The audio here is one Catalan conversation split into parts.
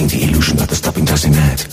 breaking the illusion that the stopping doesn't add.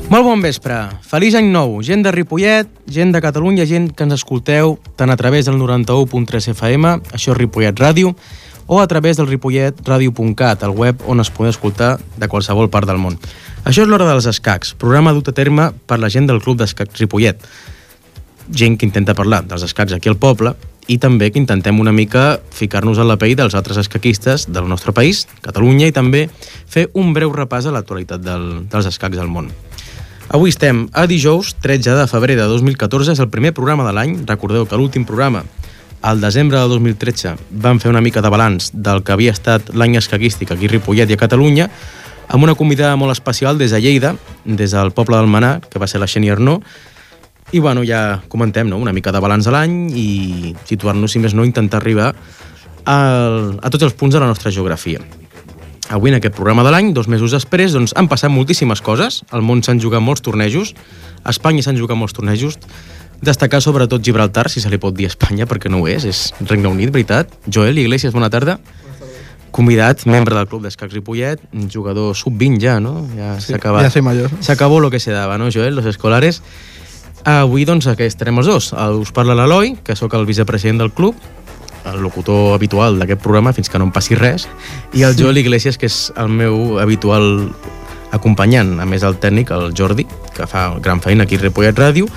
Molt bon vespre. Feliç any nou. Gent de Ripollet, gent de Catalunya, gent que ens escolteu tant a través del 91.3 FM, això és Ripollet Ràdio, o a través del ripolletradio.cat, el web on es podeu escoltar de qualsevol part del món. Això és l'Hora dels Escacs, programa dut a terme per la gent del Club d'Escacs Ripollet. Gent que intenta parlar dels escacs aquí al poble i també que intentem una mica ficar-nos a la pell dels altres escaquistes del nostre país, Catalunya, i també fer un breu repàs a l'actualitat dels escacs del món. Avui estem a dijous, 13 de febrer de 2014, és el primer programa de l'any. Recordeu que l'últim programa, al desembre de 2013, vam fer una mica de balanç del que havia estat l'any escaquístic aquí a Ripollet i a Catalunya, amb una convidada molt especial des de Lleida, des del poble del Manà, que va ser la Xeni Arnó. I bueno, ja comentem, no?, una mica de balanç de l'any i situar-nos, si més no, intentar arribar a tots els punts de la nostra geografia. Avui, en aquest programa de l'any, 2 mesos després, doncs, han passat moltíssimes coses. Al món s'han jugat molts tornejos, a Espanya s'han jugat molts tornejos, destacar sobretot Gibraltar, si se li pot dir Espanya, perquè no ho és Regne Unit, veritat. Joel Iglesias, bona tarda. Convidat, membre del Club d'Escacs Ripollet, un jugador sub-20 ja, no? Ja sí, ja soy mayor. S'acabó lo que se daba, no, Joel, los escolares. Avui, doncs, aquí estarem els dos. Us parla l'Eloi, que sóc el vicepresident del club, el locutor habitual d'aquest programa, fins que no em passi res, i el Joel Iglesias, que és el meu habitual acompanyant, a més el tècnic, el Jordi, que fa gran feina aquí a Ripollet Ràdio.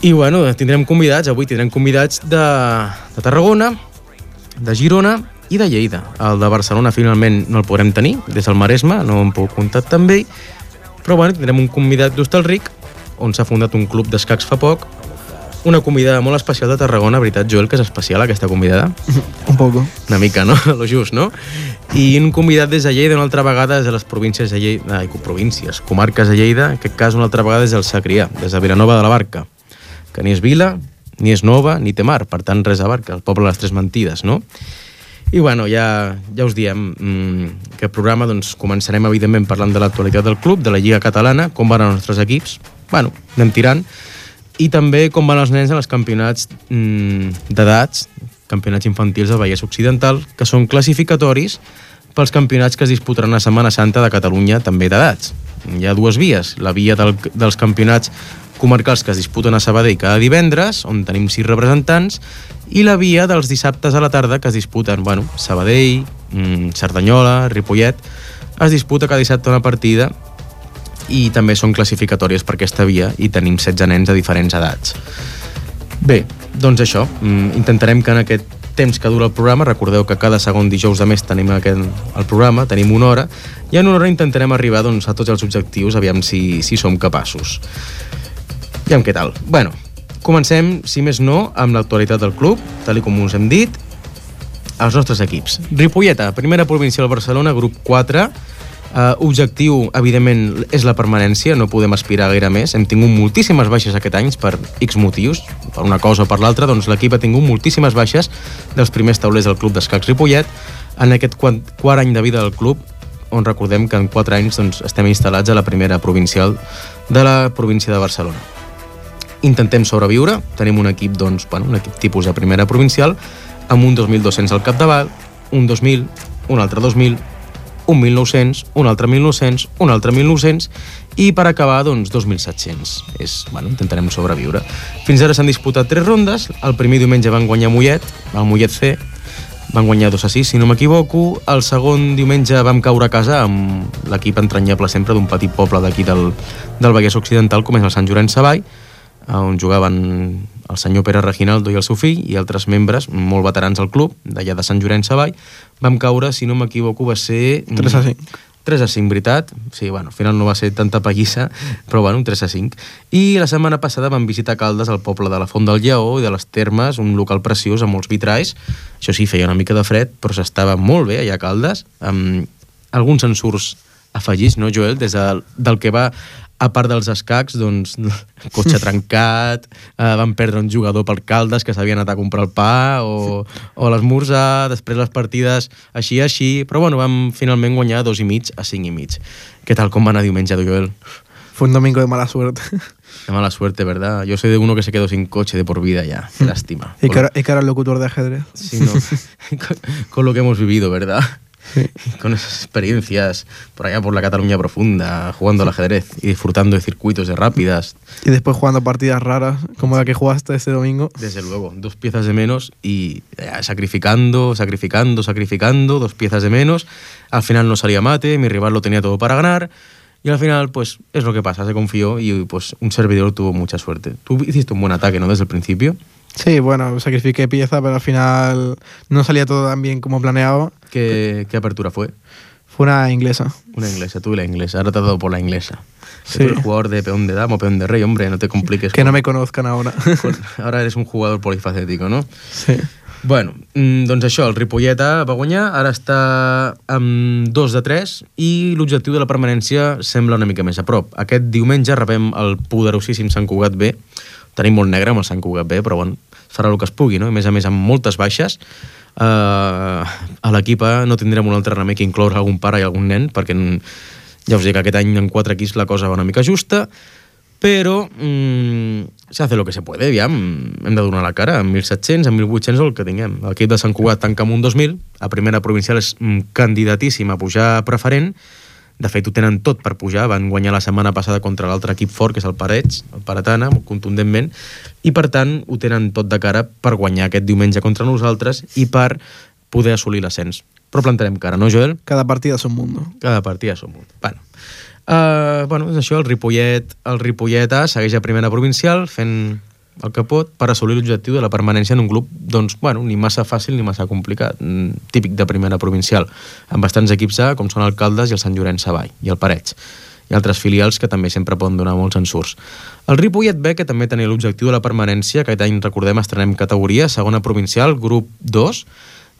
I bueno, tindrem convidats, avui tindrem convidats de Tarragona, de Girona i de Lleida. El de Barcelona finalment no el podrem tenir, des del Maresme, no em puc contactar amb ell, però bueno, tindrem un convidat d'Hostalric, on s'ha fundat un club d'escacs fa poc, una convidada molt especial de Tarragona, veritat, Joel, que és especial aquesta convidada? Un poco. Una mica, no? Lo just, no? I un convidat des de Lleida, una altra vegada des de les províncies de Lleida, comarques de Lleida, en aquest cas una altra vegada des del Segrià, des de Vilanova de la Barca, que ni és vila, ni és nova, ni té mar, per tant res a Barca, el poble de les Tres Mentides, no? I bueno, ja us diem, aquest programa doncs, començarem evidentment parlant de l'actualitat del club, de la Lliga Catalana, com van els nostres equips, bueno, anem tirant, i també com van els nens en els campionats d'edats, campionats infantils del Vallès Occidental, que són classificatoris pels campionats que es disputaran a Setmana Santa de Catalunya, també d'edats. Hi ha dues vies, la via dels campionats comarcals que es disputen a Sabadell cada divendres, on tenim 6 representants, i la via dels dissabtes a la tarda que es disputen, Sabadell, Cerdanyola, Ripollet, es disputa cada dissabte una partida i també són classificatòries per aquesta via i tenim 16 nens de diferents edats. Bé, doncs això, intentarem que en aquest temps que dura el programa, recordeu que cada segon dijous de mes tenim el programa, tenim una hora, i en una hora intentarem arribar a tots els objectius, aviam si som capaços. Aviam què tal. Bueno, comencem, si més no, amb l'actualitat del club, tal com us hem dit, els nostres equips. Ripolleta, primera provincial Barcelona, grup 4, objectiu, evidentment, és la permanència, no podem aspirar gaire més. Hem tingut moltíssimes baixes aquest any per X motius, per una cosa o per l'altra, doncs l'equip ha tingut moltíssimes baixes dels primers taulers del club d'escacs Ripollet en aquest quart any de vida del club, on recordem que en 4 anys estem instal·lats a la primera provincial de la província de Barcelona. Intentem sobreviure, tenim un equip, un equip tipus de primera provincial, amb un 2.200 al capdavant, un 2.000, un altre 2.000, un 1.900, un altre 1.900, un altre 1.900 i per acabar, 2.700. Intentarem sobreviure. Fins ara s'han disputat 3 rondes. El primer diumenge van guanyar Mollet, el Mollet C, van guanyar 2-6, si no m'equivoco. El segon diumenge vam caure a casa amb l'equip entranyable sempre d'un petit poble d'aquí del Vallès Occidental, com és el Sant Llorenç Savall, on jugaven el senyor Pere Reginaldo i el seu fill i altres membres molt veterans del club, d'allà de Sant Llorenç Savall. Vam caure, si no m'equivoco, va ser 3-5. 3-5, veritat? Sí, al final no va ser tanta pallissa, però un 3-5. I la setmana passada vam visitar Caldes, el poble de la Font del Lleó i de les Termes, un local preciós amb molts vitralls. Això sí, feia una mica de fred, però s'estava molt bé allà a Caldes, amb alguns ensurts afegits, no, Joel? Des del que va a part dels escacs, cotxe trencat, van perdre un jugador per Caldes que s'havia anat a comprar el pa o l'esmorzar, després les partides així, però vam finalment guanyar 2,5 a 5,5. Què tal, com va anar diumenge, Joel? Fue un domingo de mala suerte. De mala suerte, ¿verdad? Yo soy de uno que se quedó sin coche de por vida ya. Qué lástima. Y que era el locutor de ajedrez. Sí, no. Con lo que hemos vivido, ¿verdad? Sí. Con esas experiencias por allá por la Cataluña profunda, jugando al ajedrez y disfrutando de circuitos de rápidas. Y después jugando partidas raras, como la que jugaste ese domingo. Desde luego, 2 piezas de menos y sacrificando, 2 piezas de menos. Al final no salía mate, mi rival lo tenía todo para ganar. Y al final, pues, es lo que pasa, se confió y pues un servidor tuvo mucha suerte. Tú hiciste un buen ataque, ¿no?, desde el principio. Sí, sacrifiqué pieza, pero al final no salía todo tan bien como planeaba. ¿Qué apertura fue? Fue una inglesa. Una inglesa, tú y la inglesa. Ahora te has dado por la inglesa. Sí. Tú eres jugador de peón de dama o peón de rey, hombre, no te compliques. Que no me conozcan ahora. Ahora eres un jugador polifacético, no? Sí. Bueno, doncs això, el Ripolleta va guanyar, ara està amb 2 de 3 i l'objectiu de la permanència sembla una mica més a prop. Aquest diumenge rebem el poderosíssim Sant Cugat B. Tenim molt negre amb el Sant Cugat B, però farà el que es pugui, no? A més amb moltes baixes. A l'equip no tindrem un altre remei que incloure algun pare i algun nen, perquè ja us dic que aquest any en 4 equips la cosa va una mica justa, però se hace lo que se puede, aviam, hem de donar la cara, amb 1.700, amb 1.800 el que tinguem. L'equip de Sant Cugat tanca amb un 2.000, a primera provincial és candidatíssim a pujar preferent, de fet ho tenen tot per pujar, van guanyar la setmana passada contra l'altre equip fort, que és el Parets, el Paratana, contundentment, i per tant ho tenen tot de cara per guanyar aquest diumenge contra nosaltres i per poder assolir l'ascens. Però plantarem cara, no, Joel? Cada partida és un mundo. Cada partida és un mundo. És això, el Ripollet A segueix a primera provincial fent el que pot per assolir l'objectiu de la permanència en un club, ni massa fàcil ni massa complicat, típic de primera provincial, amb bastants equips A, com són el Caldes i el Sant Llorenç Savall, i el Parets, i altres filials que també sempre poden donar molts ensurts. El Ripollet B, que també tenia l'objectiu de la permanència, aquest any, recordem, estrenem categoria, segona provincial, grup 2,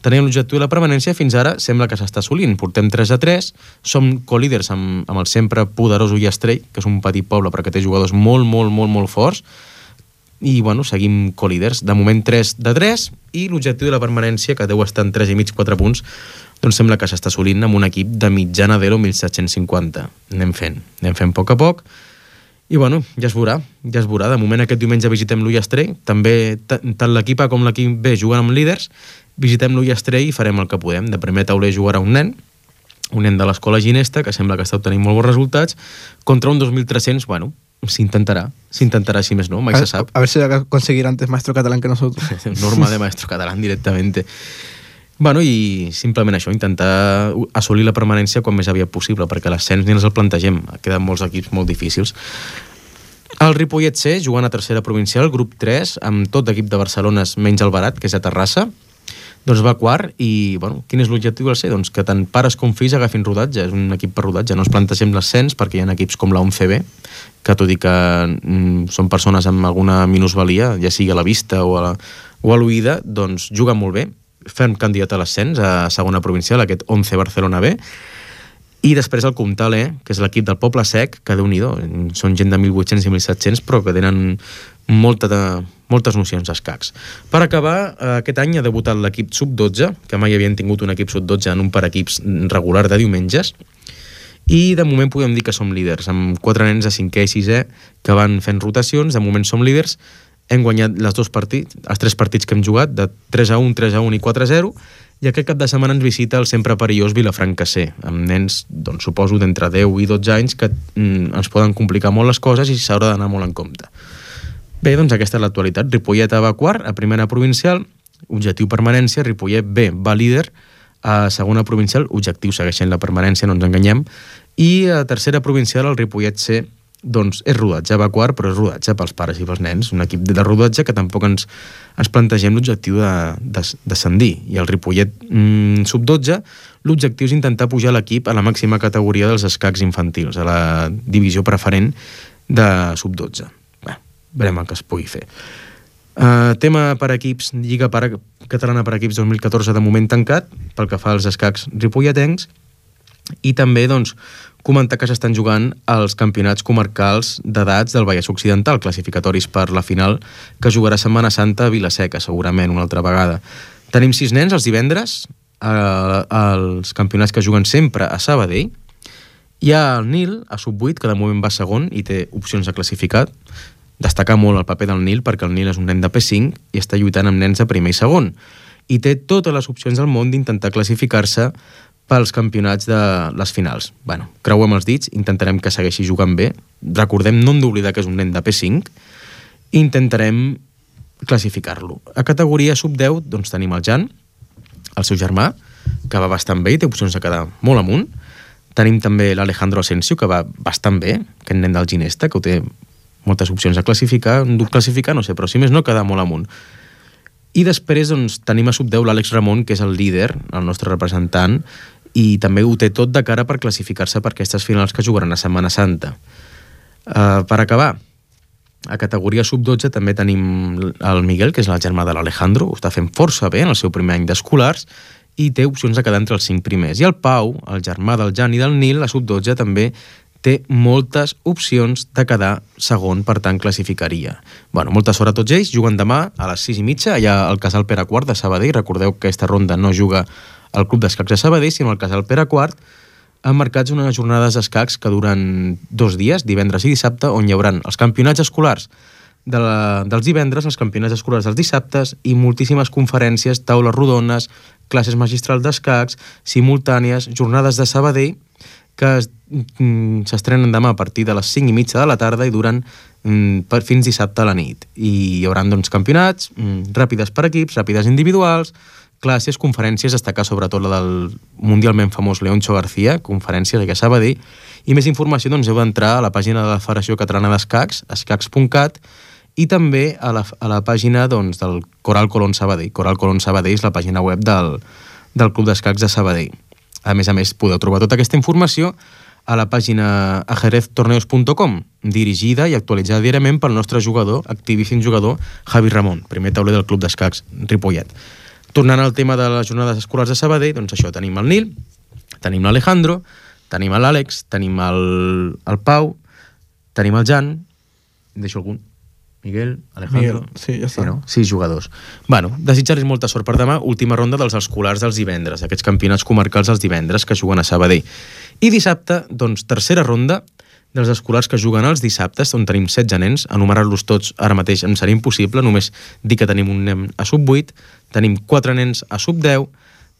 teníem l'objectiu de la permanència, fins ara sembla que s'està assolint. Portem 3 a 3, som co-líders amb el sempre poderós Ullastrell, que és un petit poble però que té jugadors molt, molt, molt, molt forts, i seguim co-líders. De moment 3 de 3, i l'objectiu de la permanència, que deu estar en 3,5-4 punts, doncs sembla que s'està assolint amb un equip de mitjana d'Elo 1.750. Anem fent a poc a poc, i ja es veurà. De moment aquest diumenge visitem l'Ullastrell, també tant l'equip A com l'equip B juguen amb líders, visitem l'Ullastrell i farem el que podem. De primer tauler jugarà un nen, un nen de l'escola Ginesta, que sembla que està obtenint molt bons resultats, contra un 2.300, bueno, s'intentarà, si més no, mai se sap. A ver si va a conseguir antes maestro catalán que nosotros. Norma de maestro catalán directamente. Bueno, i simplement això, intentar assolir la permanència quan més aviat possible, perquè l'ascens ni ens el plantegem, queden molts equips molt difícils. El Ripollet C, jugant a tercera provincial, grup 3, amb tot equip de Barcelona menys el Barat, que és a Terrassa, doncs va quart i, bueno, quin és l'objectiu del C? Doncs que tant pares com fills agafin rodatge, és un equip per rodatge, no ens plantegem l'ascens perquè hi ha equips com la 11B, que tot i que són persones amb alguna minusvalia, ja sigui a la vista o a l'oïda, doncs juguen molt bé, fem candidat a l'ascens a segona provincial, aquest 11 Barcelona B, i després el Comtal E, que és l'equip del Poble Sec, que déu-n'hi-do, són gent de 1.800 i 1.700, però que tenen moltes nocions d'escacs. Per acabar, aquest any ha debutat l'equip sub-12, que mai havien tingut un equip sub-12 en un per equips regular de diumenges, i de moment podem dir que som líders, amb 4 nens de 5è i 6è que van fent rotacions, de moment som líders, hem guanyat els 3 partits que hem jugat, de 3-1, 3-1 i 4-0, i aquest cap de setmana ens visita el sempre perillós Vilafranca C, amb nens, doncs, suposo, d'entre 10 i 12 anys que ens poden complicar molt les coses i s'haurà d'anar molt en compte. Bé, doncs aquesta és l'actualitat. Ripollet A va quart, a primera provincial, objectiu permanència, Ripollet B va líder, a segona provincial, objectiu segueixent la permanència, no ens enganyem, i a tercera provincial el Ripollet C doncs és rodatge, va quart, però és rodatge pels pares i pels nens, un equip de rodatge que tampoc ens plantegem l'objectiu de descendir, i el Ripollet sub-12, l'objectiu és intentar pujar l'equip a la màxima categoria dels escacs infantils, a la divisió preferent de sub-12. Bé, veurem el que es pugui fer. Tema per equips, Lliga Catalana per equips 2014 de moment tancat, pel que fa als escacs ripolletens, i també, doncs, comentar que s'estan jugant els campionats comarcals d'edats del Vallès Occidental, classificatoris per la final, que jugarà Setmana Santa a Vila-seca, segurament, una altra vegada. Tenim 6 nens els divendres, els campionats que juguen sempre a Sabadell. Hi ha el Nil, a sub-8, que de moment va segon i té opcions de classificar. Destacar molt el paper del Nil, perquè el Nil és un nen de P5 i està lluitant amb nens de primer i segon. I té totes les opcions del món d'intentar classificar-se pels campionats de les finals. Bueno, creuem els dits, intentarem que segueixi jugant bé. Recordem, no hem d'oblidar que és un nen de P5. Intentarem classificar-lo. A categoria sub-10, doncs tenim el Jan, el seu germà, que va bastant bé i té opcions de quedar molt amunt. Tenim també l'Alejandro Asensio, que va bastant bé, aquest nen del Ginesta, que ho té moltes opcions de classificar. Classificar, no sé, però si més no, quedar molt amunt. I després doncs, tenim a sub-10 l'Àlex Ramon, que és el líder, el nostre representant, i també ho té tot de cara per classificar-se per aquestes finals que jugaran a Setmana Santa. Per acabar, a categoria sub-12 també tenim el Miguel, que és el germà de l'Alejandro, ho està fent força bé en el seu primer any d'escolars i té opcions de quedar entre els 5 primers. I el Pau, el germà del Jan i del Nil, a sub-12 també té moltes opcions de quedar segon, per tant classificaria. Bueno, molta sort a tots ells, juguen demà a les 6:30 allà al Casal Pere IV de Sabadell. Recordeu que aquesta ronda no juga al Club d'Escacs de Sabadell, sinó al Casal Pere IV, han marcats unes jornades d'escacs que duren 2 dies, divendres i dissabte, on hi haurà els campionats escolars dels divendres, els campionats escolars dels dissabtes i moltíssimes conferències, taules rodones, classes magistrals d'escacs, simultànies, jornades de Sabadell, que s'estrenen demà a partir de les 5:30 de la tarda i duren fins dissabte a la nit. I hi haurà doncs, campionats, ràpides per equips, ràpides individuals, classes, conferències, destacar sobretot la del mundialment famós Leoncho García, conferències aquí a Sabadell, i més informació doncs, heu d'entrar a la pàgina de la Federació Catalana d'Escacs, escacs.cat, i també a la pàgina doncs, del Coral Colón Sabadell. Coral Colón Sabadell és la pàgina web del Club d'Escacs de Sabadell. A més, podeu trobar tota aquesta informació a la pàgina ajedreztorneos.com, dirigida i actualitzada diàriament pel nostre jugador, activíssim jugador, Javi Ramon, primer tauler del Club d'Escacs Ripollet. Tornant al tema de les jornades escolars de Sabadell, doncs això, tenim el Nil, tenim l'Alejandro, tenim l'Àlex, tenim el Pau, tenim el Jan, deixo algun? Miguel, Alejandro... sí, ja està. Sí, no? 6 jugadors. Bueno, desitjar-los molta sort per demà, última ronda dels escolars dels divendres, aquests campionats comarcals dels divendres que juguen a Sabadell. I dissabte, doncs, tercera ronda dels escolars que juguen els dissabtes, on tenim 16 nens, enumerar-los tots ara mateix em seria impossible, només dir que tenim un nen a sub-8, tenim 4 nens a sub-10,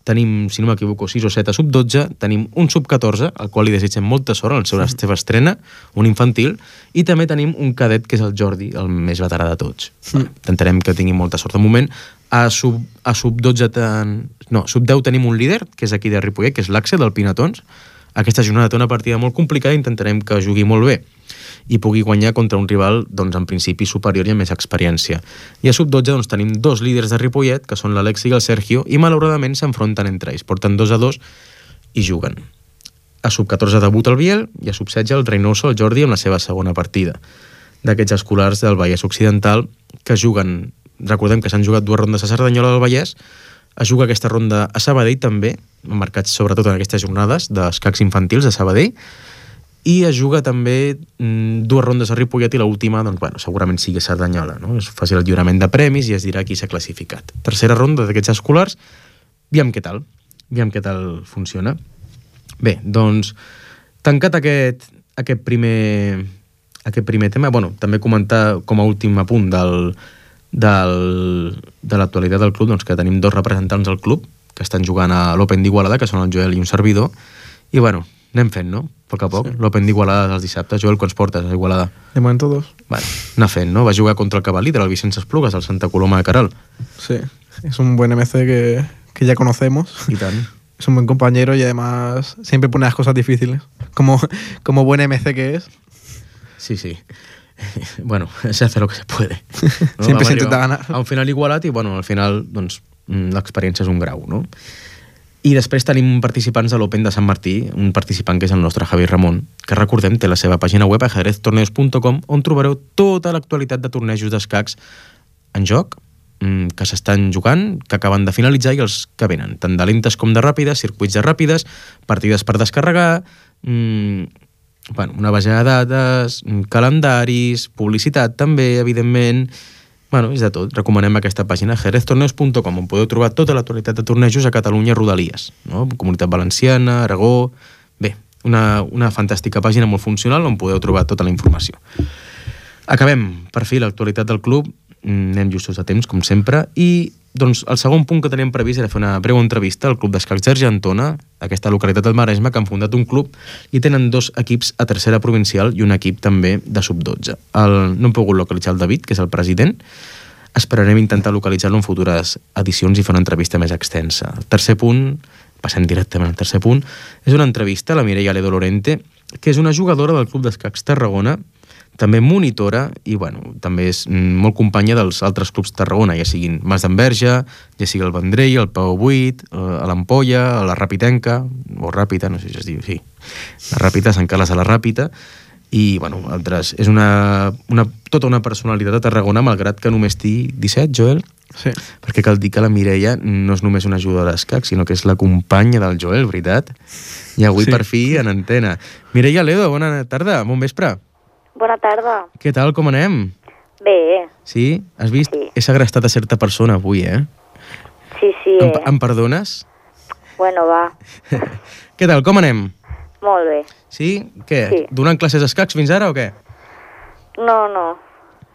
tenim, si no m'equivoco, 6 o 7 a sub-12, tenim un sub-14, al qual li desitgem molta sort en la seva estrena, un infantil, i també tenim un cadet, que és el Jordi, el més veterà de tots. Intentarem que tingui molta sort. De moment, a sub-12 sub-10 tenim un líder, que és aquí de Ripollet, que és l'Axe, del Pinatons. Aquesta jornada té una partida molt complicada i intentarem que jugui molt bé i pugui guanyar contra un rival, doncs, en principi superior i amb més experiència. I a sub-12 doncs, tenim 2 líders de Ripollet, que són l'Alexi i el Sergio, i malauradament s'enfronten entre ells. Porten 2-2 i juguen. A sub-14 debuta el Biel i a sub-16 el Reynoso, el Jordi, amb la seva segona partida. D'aquests escolars del Vallès Occidental que juguen, recordem que s'han jugat 2 rondes a Cerdanyola del Vallès, es juga aquesta ronda a Sabadell també, marcats sobretot en aquestes jornades d'escacs infantils de Sabadell, i es juga també 2 rondes a Ripollet i l'última, doncs, bueno, segurament sigui Cerdanyola, no? Es faci el lliurament de premis i es dirà qui s'ha classificat. Tercera ronda d'aquests escolars, aviam què tal funciona. Bé, doncs, tancat aquest primer tema, bueno, també comentar com a últim apunt de l'actualitat del club, doncs que tenim 2 representants del club que estan jugant a l'Open d'Igualada, que són el Joel i un servidor, i bueno, anem fent, no? A poc a poc. Sí. L'Open d'Igualada dels dissabtes. Joel, quants portes a Igualada? De moment 2. Bueno, anar fent, no? Va jugar contra el Cavalí, del Vicenç Esplugues, al Santa Coloma de Caral. Sí, es un buen MC que ya conocemos. Y tal. Es un buen compañero y además siempre pone las cosas difíciles, como buen MC que es. Sí. Bueno, se hace lo que se puede. No? Siempre se intenta ganar. A un final igualat i, bueno, al final, doncs, l'experiència és un grau, no? I després tenim participants de l'Open de Sant Martí, un participant que és el nostre Javi Ramon, que recordem té la seva pàgina web ajedreztorneos.com, on trobareu tota l'actualitat de tornejos d'escacs en joc, que s'estan jugant, que acaben de finalitzar i els que venen, tant de lentes com de ràpides, circuits de ràpides, partides per descarregar, una base de dades, calendaris, publicitat també, evidentment. Bueno, és de tot. Recomanem aquesta pàgina ajedreztorneos.com, on podeu trobar tota l'actualitat de tornejos a Catalunya Rodalies, no? Comunitat Valenciana, Aragó... Bé, una fantàstica pàgina molt funcional on podeu trobar tota la informació. Acabem, per fi, l'actualitat del club. Anem justos a temps, com sempre, i doncs el segon punt que teníem previst era fer una breu entrevista al Club d'Escacs d'Argentona, aquesta localitat del Maresme, que han fundat un club i tenen 2 equips a tercera provincial i un equip també de sub-12. No hem pogut localitzar el David, que és el president. Esperarem intentar localitzar-lo en futures edicions i fer una entrevista més extensa. El tercer punt, passem directament al tercer punt, és una entrevista a la Mireia Ledo Lorente, que és una jugadora del Club d'Escacs Tarragona, també monitora i, bueno, també és molt companya dels altres clubs de Tarragona, ja siguin Mas d'Enverge, ja sigui el Vendrell, el Pau 8, a l'Ampolla, a la Ràpitenca, o Ràpita, no sé si es diu, sí, la Ràpita, Sant Carles a la Ràpita, i, bueno, altres. És tota una personalitat de Tarragona, malgrat que només tingui 17, Joel? Sí. Perquè cal dir que la Mireia no és només una jugadora d'escacs, sinó que és la companya del Joel, veritat? I avui, sí, per fi, en antena. Mireia Ledo, bona tarda, bon vespre. Bona tarda. Què tal, com anem? Bé. Sí? Has vist? Sí. He segrestat a certa persona avui, eh? Sí. Em perdones? Bueno, va. Què tal, com anem? Molt bé. Sí? Què? Sí. Donant classes d'escacs fins ara o què? No.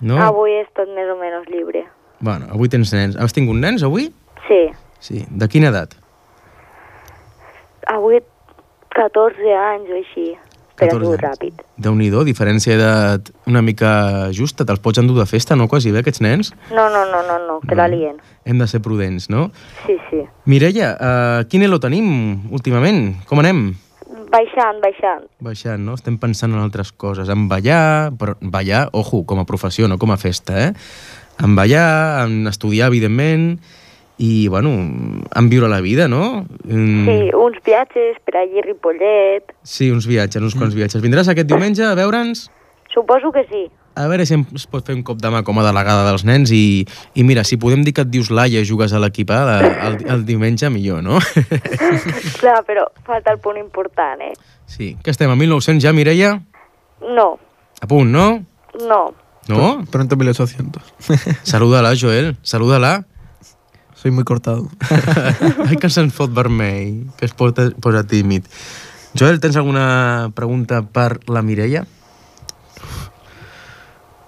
No? Avui he estat més o menys llibre. Bueno, avui tens nens. Has tingut nens, avui? Sí. Sí. De quina edat? Avui 14 anys o així. Però ha sigut ràpid. Déu-n'hi-do, diferència d'edat una mica justa. Te'ls pots endur de festa, no, quasi bé, aquests nens? No, que la lien. Hem de ser prudents, no? Sí. Mireia, quin elo tenim últimament? Com anem? Baixant. Baixant, no? Estem pensant en altres coses. En ballar, però ballar, ojo, com a professió, no com a festa, eh? En ballar, en estudiar, evidentment, i, bueno, en viure la vida, no? Sí, uns viatges per allí a Ripollet. Sí, uns quants viatges. Vindràs aquest diumenge a veure'ns? Suposo que sí. A veure si es pot fer un cop de mà com a delegada dels nens i mira, si podem dir que et dius Laia i jugues a l'equip el diumenge, millor, no? Clar, però falta el punt important, eh? Sí. Que estem, a 1900 ja, Mireia? No. A punt, no? No. No? Pronto 1800. Salúdala, Joel, salúdala. Soy muy cortado. Ai, que se'n fot vermell, que es posa tímid. Joel, tens alguna pregunta per la Mireia?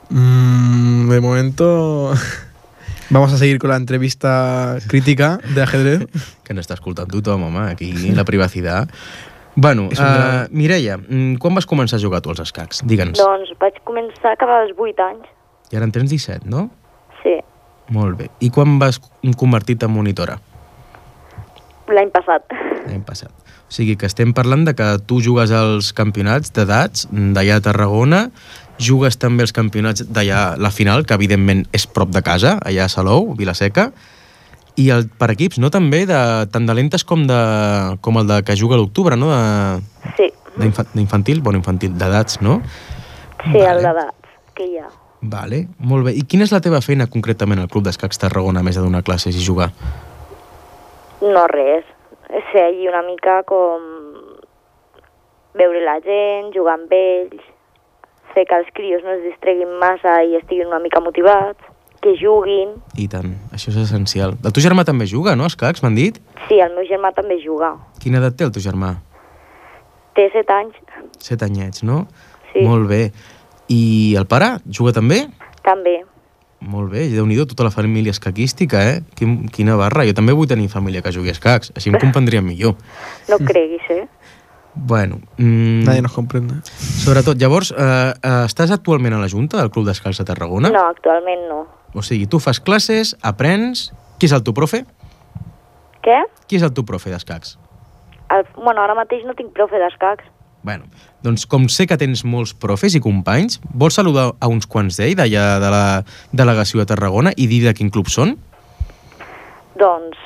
De momento Vamos a seguir con la entrevista crítica de ajedrez. Que n'està escoltant tothom, home, aquí, la privacitat. Bueno, Mireia, quan vas començar a jugar tu als escacs? Digue'ns. Doncs vaig començar a acabar als 8 anys. I ara en tens 17, no? Sí, Molt bé. I quan vas convertir-te en monitora? l'any passat. L'any passat. O sigui que estem parlant de que tu jugues als campionats d'edats d'allà a Tarragona, jugues també als campionats d'allà, la final, que evidentment és prop de casa, allà a Salou, Vilaseca, i per equips, no? També, tant de lentes com el de que juga a l'octubre, no? Sí, D'infantil, bueno, infantil, d'edats, no? sí, el d'edats que hi ha. Vale, molt bé. I quina és la teva feina concretament al Club d'Escacs Tarragona, a més de donar classes i jugar? No res, és ser allí una mica com veure la gent, jugar amb ells, fer que els crios no es distreguin massa i estiguin una mica motivats, que juguin. I tant, això és essencial. El teu germà també juga, no, a escacs, m'han dit? Sí, el meu germà també juga. Quina edat té el teu germà? Té 7 anys, 7 anyets, no? sí, Molt bé. I el pare juga també? també. Molt bé, Déu-n'hi-do, tota la família escaquística, eh? Quina barra. Jo també vull tenir família que jugui a escacs, així em comprendria millor. No creguis, Bueno, Nadie nos comprende. sobretot, llavors, estàs actualment a la Junta del Club d'Escacs de Tarragona? No, actualment no. O sigui, tu fas classes, aprens... Qui és el teu profe? Què? Qui és el teu profe d'escacs? Bueno, ara mateix no tinc profe d'escacs. Bueno, doncs com sé que tens molts profes i companys, vols saludar a uns quants d'ells d'allà de la delegació de Tarragona i dir de quin club són? Doncs,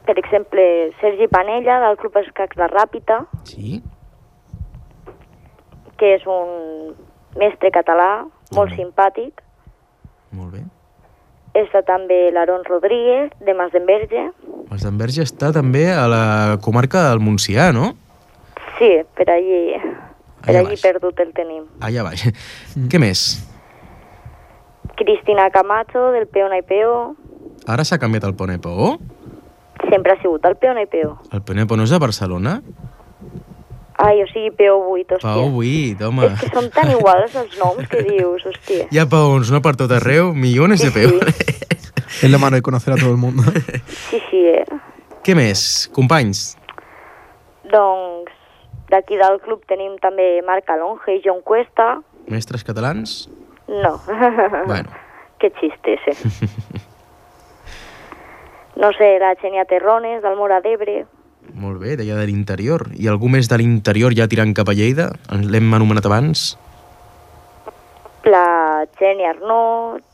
per exemple, Sergi Panella, del Club Escacs de Ràpita, Sí. que és un mestre català, molt simpàtic. Molt bé. Està també l'Aaron Rodríguez, de Masdenverge. Els d'Enverge està també a la comarca del Montsià, no? Sí, per allí Allà baix. perdut el tenim. Allà baix. Què més? Cristina Camacho, del Peo Naipeo. Ara s'ha canviat el Ponepo. Sempre ha sigut el Peo Naipeo. El Ponepo no és de Barcelona? Ai, o sigui, Peo 8, hòstia. Pau 8, home. És que són tan iguals els noms que dius, hòstia. Hi ha paons, no per tot arreu, milions de peus. Es la mano de conocer a todo el mundo. Sí, sí, Què més? Companys? Doncs d'aquí del club tenim també Marc Alonge i John Cuesta. Mestres catalans? No. Bueno. Que xiste ese. No sé, la Xenia Terrones, del Mora d'Ebre. Molt bé, d'allà de l'interior. I algú més de l'interior ja tirant cap a Lleida? L'hem anomenat abans? La Xenia Arnaud,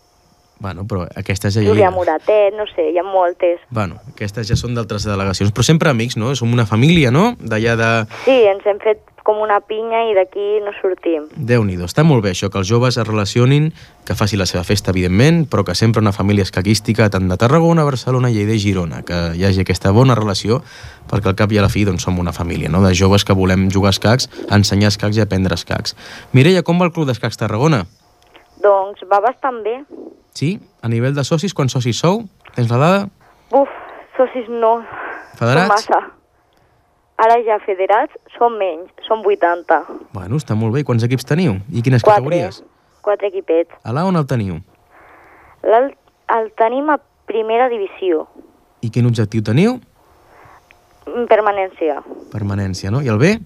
Bueno, però aquestes ja... Júlia Moratet, no sé, hi ha moltes. Bueno, aquestes ja són d'altres delegacions, però sempre amics, no? Som una família, no? D'allà de... Sí, ens hem fet com una pinya i d'aquí no sortim. Déu-n'hi-do, està molt bé això, que els joves es relacionin, que faci la seva festa, evidentment, però que sempre una família escaquística, tant de Tarragona, Barcelona, Lleida i Girona, que hi hagi aquesta bona relació, perquè al cap i a la fi doncs, som una família, no? De joves que volem jugar a escacs, ensenyar escacs i aprendre escacs. Mireia, com va el Club d'Escacs Tarragona? Doncs va bastant bé. Sí? A nivell de socis, quants socis sou? Tens la dada? Buf, socis no. Federats? Són massa. Ara ja federats són menys, són 80. Bueno, està molt bé. I quants equips teniu? I quines categories? 4 equipets. A l'A on el teniu? El tenim a primera divisió. I quin objectiu teniu? Permanència. Permanència, no? I el B?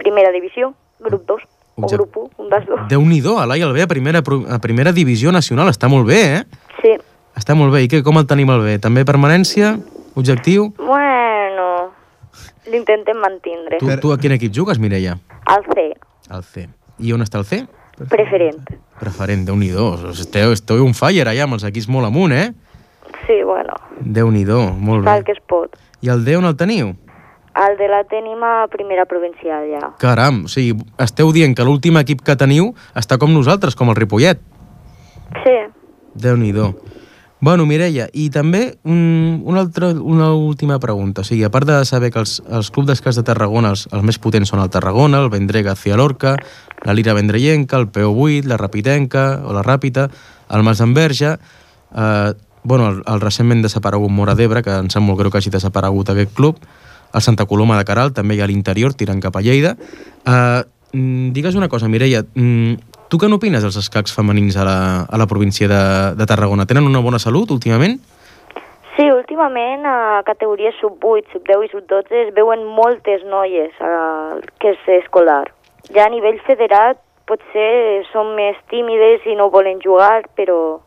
Primera divisió, grup 2. O grup 1, un dels dos. Déu-n'hi-do, a l'A i el B a primera divisió nacional. Està molt bé, eh? Sí. Està molt bé. I què, com el tenim el B? També permanència? Objectiu? Bueno, l'intentem mantindre. Tu a quin equip jugues, Mireia? El C, Al C. I on està el C? preferent. Preferent, Déu-n'hi-do. Esteu un fire allà amb els equips molt amunt, eh? Sí, bueno, Déu-n'hi-do, molt fa bé. el que es pot. I el D on el teniu? El de la tenim a primera provincial, ja. Caram, o sigui, esteu dient que l'últim equip que teniu està com nosaltres, com el Ripollet. Sí, Déu-n'hi-do. Bueno, Mireia, i també una última pregunta. O sigui, a part de saber que els clubs d'escacs de Tarragona, els més potents són el Tarragona, el Vendrega García Lorca, la Lira Vendrellenca, el PO8, la Rapitenca o la Ràpita, el Masdenverge, el recentment desaparegut Mora d'Ebre, que em sap molt greu que hagi desaparegut aquest club, el Santa Coloma de Queralt, també hi ha a l'interior, tirant cap a Lleida. Digues una cosa, Mireia, Tu què n'opines dels escacs femenins a la província de Tarragona? Tenen una bona salut últimament? Sí, últimament a categories sub-8, sub-10 i sub-12 es veuen moltes noies que és escolar. Ja a nivell federat potser són més tímides i no volen jugar, però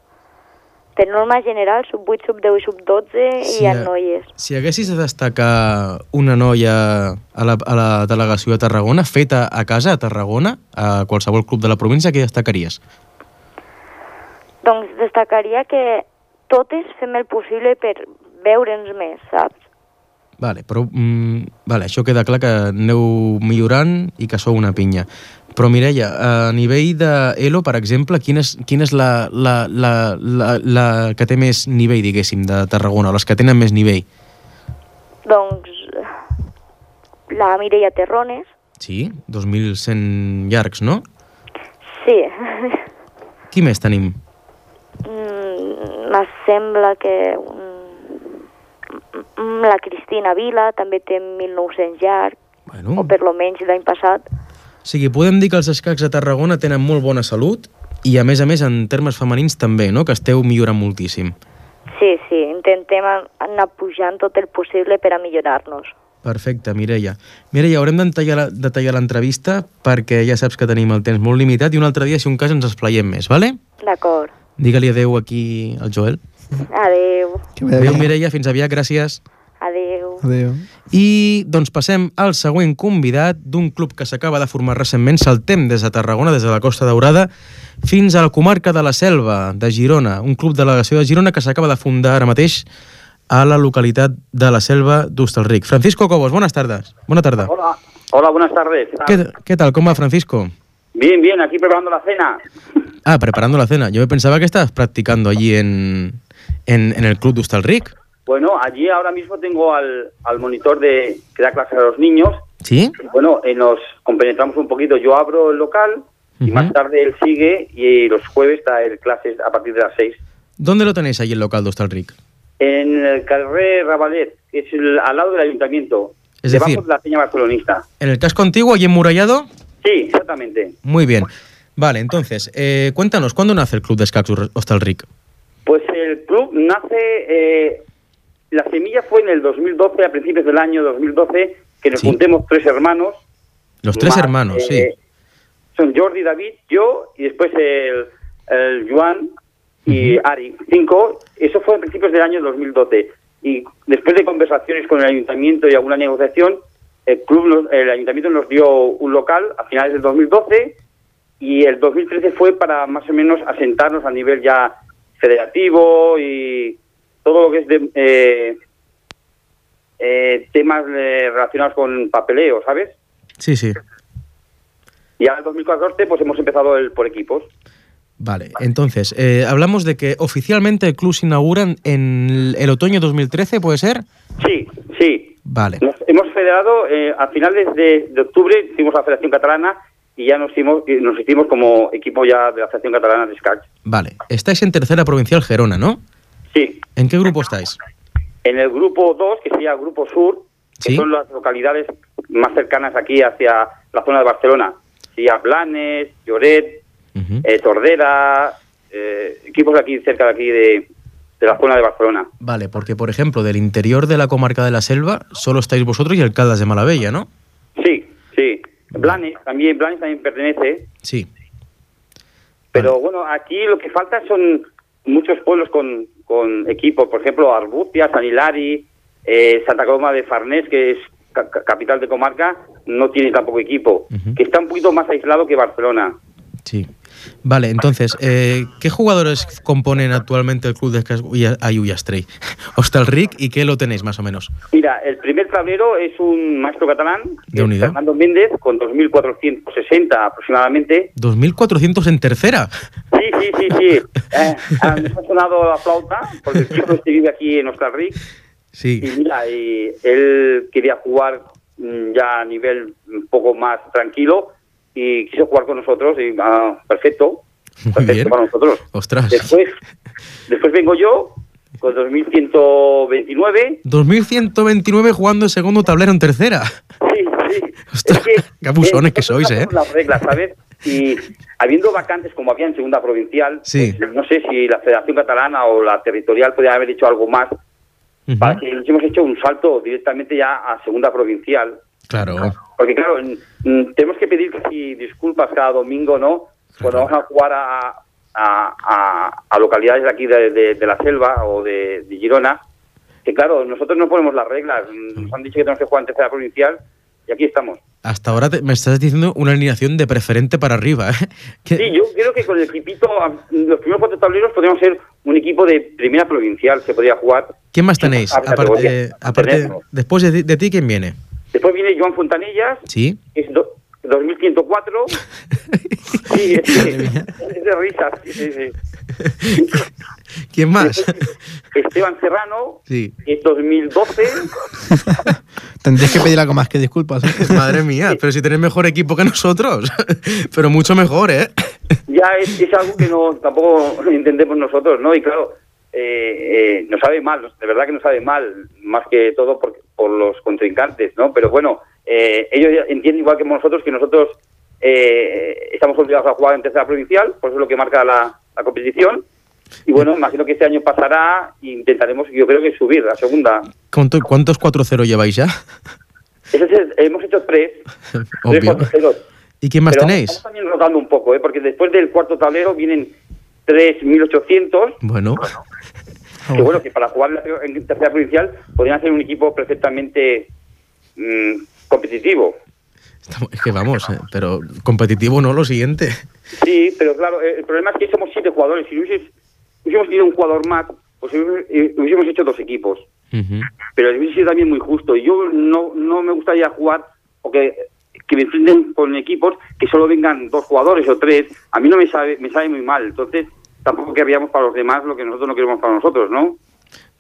per norma general sub-8, sub-10 i sub-12 hi ha noies. Si haguessis de destacar una noia a la delegació de Tarragona, feta a casa a Tarragona, a qualsevol club de la província, què destacaries? Doncs destacaria que totes fem el possible per veure'ns més, saps? Vale, però això queda clar que aneu millorant i que sou una pinya. Però Mireia, a nivell d'Elo, per exemple, quina és la que té més nivell, diguéssim, de Tarragona, o les que tenen més nivell? Doncs la Mireia Terrones. Sí, 2.100 llargs, no? Sí. Qui més tenim? Me sembla que la Cristina Vila també té 1.900 llarg, o per lo menys l'any passat. O sigui, podem dir que els escacs de Tarragona tenen molt bona salut i, a més, en termes femenins també, no?, que esteu millorant moltíssim. Sí, intentem anar pujant tot el possible per a millorar-nos. Perfecte, Mireia. Mireia, haurem de tallar l'entrevista perquè ja saps que tenim el temps molt limitat i un altre dia, si un cas, ens esplaiem més, vale? D'acord. Digue-li adeu aquí al Joel. Adeu. Adeu, Mireia, fins aviat, gràcies. Adeu. Adéu. I doncs passem al següent convidat d'un club que s'acaba de formar recentment. Saltem des de Tarragona, des de la Costa Daurada, fins a la comarca de la Selva, de Girona, un club delegació de Girona que s'acaba de fundar ara mateix a la localitat de la Selva d'Hostalric. Francisco Cobos, buenas tardes. Buena tarde. Hola, buenas tardes. ¿Qué tal? ¿Cómo va, Francisco? Bien, aquí preparando la cena. Ah, preparando la cena. Yo pensaba que estabas practicando allí en el club de Hostalric. Bueno, allí ahora mismo tengo al monitor que da clases a los niños. ¿Sí? Bueno, nos compenetramos un poquito. Yo abro el local y más tarde él sigue y los jueves trae clases a partir de las 6. ¿Dónde lo tenéis allí el local de Hostalric? En el carrer Ravalet, que es al lado del ayuntamiento. Es debajo decir, de la peña barcelonista. ¿En el casco antiguo, allí emmurallado? Sí, exactamente. Muy bien. Vale, entonces, cuéntanos, ¿cuándo nace el club de escacs Hostalric? Pues el club nace... la semilla fue en el 2012, a principios del año 2012, que nos juntemos 3 hermanos. Los 3 hermanos, sí. Son Jordi, David, yo y después el Joan y Ari, 5. Eso fue a principios del año 2012. Y después de conversaciones con el ayuntamiento y alguna negociación, el ayuntamiento nos dio un local a finales del 2012 y el 2013 fue para más o menos asentarnos a nivel ya federativo y todo lo que es de temas relacionados con papeleo, ¿sabes? Sí, sí. Y ahora en 2014 pues hemos empezado por equipos. Vale, entonces, hablamos de que oficialmente el club se inaugura en el otoño 2013, ¿puede ser? Sí. Vale. Nos hemos federado, a finales de octubre hicimos la Federación Catalana y ya nos hicimos como equipo ya de la Federación Catalana de Escacs. Vale, estáis en tercera provincial Gerona, ¿no? Sí. ¿En qué grupo estáis? En el grupo 2, que sería el grupo sur, que son las localidades más cercanas aquí hacia la zona de Barcelona. Sería Blanes, Lloret, Tordera, equipos de aquí cerca de aquí de la zona de Barcelona. Vale, porque por ejemplo del interior de la comarca de la Selva solo estáis vosotros y el Caldas de Malavella, ¿no? Sí. Blanes también pertenece. Sí. Pero bueno, aquí lo que falta son muchos pueblos con equipos, por ejemplo Arbustia, San Hilari, Santa Coloma de Farnés, que es capital de comarca, no tiene tampoco equipo, que está un poquito más aislado que Barcelona. Sí. Vale, entonces, ¿qué jugadores componen actualmente el club de escacs Hostalric y qué lo tenéis más o menos? Mira, el primer tablero es un maestro catalán, Fernando Méndez, con 2.460 aproximadamente. ¿2.400 en tercera? Sí. Me ha sonado la flauta, porque el chico vive aquí en Hostalric. Sí. Y mira, él quería jugar ya a nivel un poco más tranquilo y quiso jugar con nosotros y perfecto bien. Para nosotros. Ostras. Después vengo yo con 2.129. 2.129 jugando el segundo tablero en tercera. Sí. Ostras, qué abusones que sois, Las reglas, ¿sabes? Y habiendo vacantes como había en segunda provincial, Sí. pues, no sé si la Federación Catalana o la territorial podría haber hecho algo más para que nos hemos hecho un salto directamente ya a segunda provincial. Claro. Porque claro, tenemos que pedir casi disculpas cada domingo, ¿no? Cuando vamos a jugar a localidades de aquí de la Selva o de Girona, que claro, nosotros no ponemos las reglas. Nos han dicho que tenemos que jugar en tercera provincial y aquí estamos. Hasta ahora me estás diciendo una alineación de preferente para arriba, ¿eh? Sí, yo creo que con el equipito, los primeros 4 tableros podríamos ser un equipo de primera provincial, se podría jugar. ¿Quién más tenéis? Aparte, después de ti, ¿quién viene? Después viene Joan Fontanillas, Sí. que es 2104. Sí, es de risas. Sí. ¿Quién más? Esteban Serrano, Sí. que es 2012. Tendréis que pedir algo más que disculpas. Madre mía, pero si tenéis mejor equipo que nosotros. Pero mucho mejor, ¿eh? Ya es algo que tampoco entendemos nosotros, ¿no? Y claro, nos sabe mal, de verdad que nos sabe mal, más que todo por los contrincantes, ¿no? Pero bueno, ellos entienden igual que nosotros estamos obligados a jugar en tercera provincial, por eso es lo que marca la competición. Y bueno, imagino que este año pasará e intentaremos, yo creo que subir a segunda. ¿Cuántos 4-0 lleváis ya? Hemos hecho 3 Obvio. 4-0. ¿Y quién más Pero tenéis? Estamos también rotando un poco, porque después del cuarto tablero vienen 3.800. Bueno. Que bueno, que para jugar en tercera provincial podrían hacer un equipo perfectamente competitivo. Es que vamos, pero competitivo no, lo siguiente. Sí, pero claro, el problema es que somos 7 jugadores. Si hubiésemos tenido un jugador más, pues hubiésemos hecho 2 equipos. Pero hubiese sido también muy justo. Y yo no me gustaría jugar o que me enfrenten con equipos que solo vengan 2 jugadores o 3. A mí no me sabe muy mal. Entonces, tampoco querríamos para los demás lo que nosotros no queremos para nosotros, ¿no?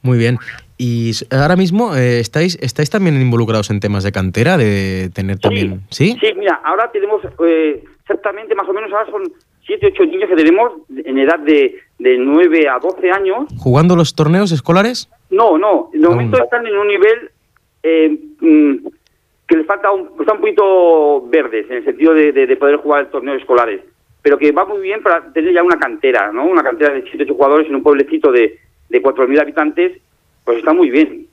Muy bien. Y ahora mismo estáis también involucrados en temas de cantera, de tener también... ¿Sí? Sí, mira, ahora tenemos exactamente, más o menos, ahora son 7, 8 niños que tenemos en edad de 9 a 12 años. ¿Jugando los torneos escolares? No, de momento están en un nivel que les falta están un poquito verdes, en el sentido de poder jugar torneos escolares, pero que va muy bien para tener ya una cantera, ¿no? Una cantera de 7, 8 jugadores en un pueblecito de 4.000 habitantes, pues está muy bien.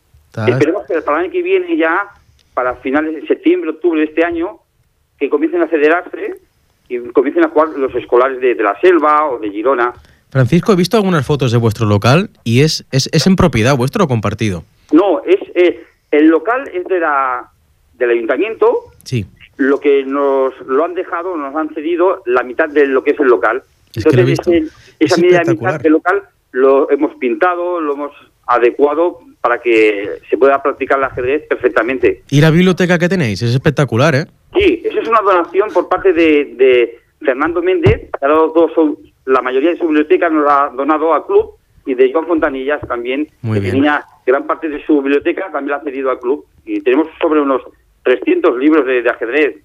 Esperemos que para el año que viene ya, para finales de septiembre, octubre de este año, que comiencen a federarse y comiencen a jugar los escolares de la Selva o de Girona. Francisco, he visto algunas fotos de vuestro local y es en propiedad vuestro o compartido. No, el local es del ayuntamiento. Sí. Lo que nos han dejado, nos han cedido la mitad de lo que es el local. Entonces, esa media mitad del local lo hemos pintado, lo hemos adecuado para que se pueda practicar el ajedrez perfectamente. ¿Y la biblioteca que tenéis? Es espectacular, ¿eh? Sí, eso es una donación por parte de Fernando Méndez, que ha dado la mayoría de su biblioteca nos la ha donado al club, y de Joan Fontanillas también, Muy que bien. tenía gran parte de su biblioteca, también la ha cedido al club. Y tenemos sobre unos 300 libros de ajedrez.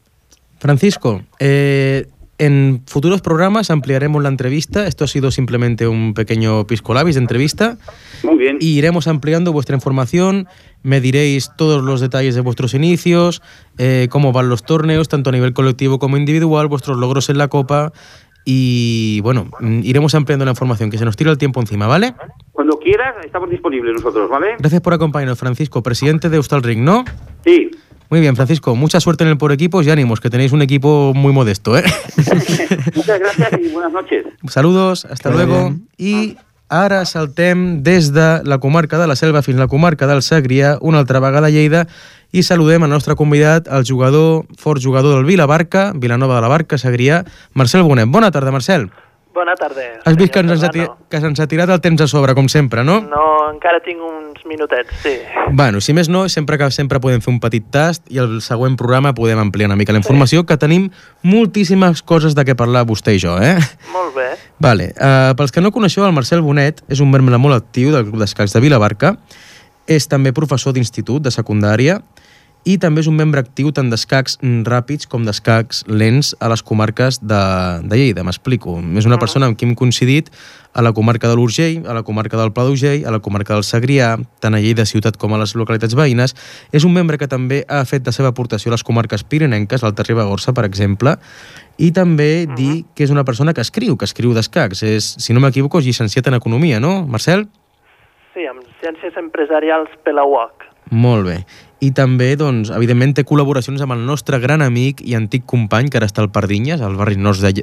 Francisco, en futuros programas ampliaremos la entrevista. Esto ha sido simplemente un pequeño piscolabis de entrevista. Muy bien. Y iremos ampliando vuestra información. Me diréis todos los detalles de vuestros inicios, cómo van los torneos, tanto a nivel colectivo como individual, vuestros logros en la Copa. Y bueno, iremos ampliando la información, que se nos tira el tiempo encima, ¿vale? Cuando quieras, estamos disponibles nosotros, ¿vale? Gracias por acompañarnos, Francisco, presidente de Euskalring, ¿no? Sí. Muy bien, Francisco, mucha suerte en el por equipos y ánimos, que tenéis un equipo muy modesto, ¿eh? Muchas gracias y buenas noches. Saludos, hasta luego. I ara saltem des de la comarca de la Selva fins a la comarca del Segrià, una altra vegada a Lleida, i saludem el nostre convidat, el fort jugador del Vilabarca, Vilanova de la Barca, Segrià, Marcel Bonet. Bona tarda, Marcel. Bona tarda. Has vist que se'ns ha tirat el temps a sobre, com sempre, no? No, encara tinc uns minutets, sí. Bueno, si més no, sempre podem fer un petit tast i el següent programa podem ampliar una mica la informació, que tenim moltíssimes coses de què parlar vostè i jo, eh? Molt bé. Vale. Pels que no coneixeu, el Marcel Bonet és un membre molt actiu del Club d'Escacs de Vilabarca, és també professor d'institut, de secundària, i també és un membre actiu tant d'escacs ràpids com d'escacs lents a les comarques de Lleida, m'explico. És una persona amb qui hem coincidit a la comarca de l'Urgell, a la comarca del Pla d'Urgell, a la comarca del Segrià, tant a Lleida ciutat com a les localitats veïnes. És un membre que també ha fet la seva aportació a les comarques pirinenques, al Ribagorça, per exemple, i també dir que és una persona que escriu d'escacs. És, si no m'equivoco, és llicenciat en Economia, no, Marcel? Sí, amb Ciències Empresarials per la UOC. Molt bé. I també, doncs, evidentment, té col·laboracions amb el nostre gran amic i antic company, que ara està al Pardinyes, al barri nord de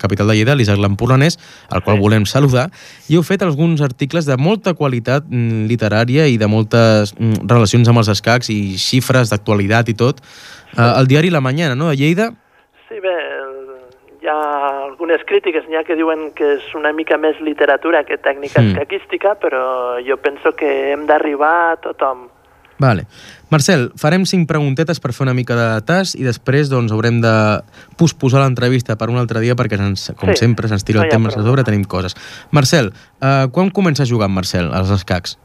capital de Lleida, l'Isaac Lampolanès, al qual volem saludar, i heu fet alguns articles de molta qualitat literària i de moltes relacions amb els escacs i xifres d'actualitat i tot. El diari La Mañana, no?, de Lleida? Sí, bé, hi ha algunes crítiques, n'hi ha que diuen que és una mica més literatura que tècnica escaquística, però jo penso que hem d'arribar a tothom. Vale. Marcel, farem 5 preguntetes per fer una mica de tas i després doncs, haurem de posposar l'entrevista per un altre dia perquè, sempre, se'ns tira el temps a sobre, tenim coses. Marcel, quan comença a jugar amb Marcel als escacs?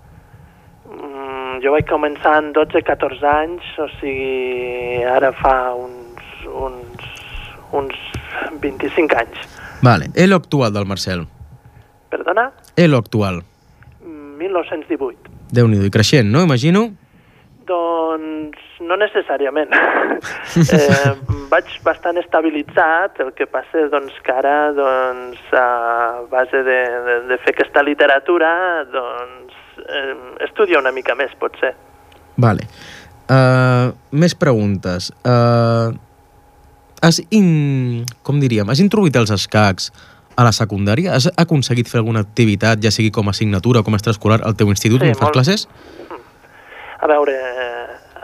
Jo vaig començar amb 12-14 anys, o sigui, ara fa uns 25 anys. Vale. Elo actual del Marcel? Perdona? Elo actual? 1918. Déu-n'hi-do, i creixent, no? Imagino? Doncs no necessàriament. Vaig bastant estabilitzat, el que passa doncs, que ara doncs, a base de fer aquesta literatura doncs, estudia una mica més, potser. Vale. Més preguntes. Has introduït els escacs a la secundària? Has aconseguit fer alguna activitat, ja sigui com a assignatura o com a extraescolar al teu institut on fas classes? A veure,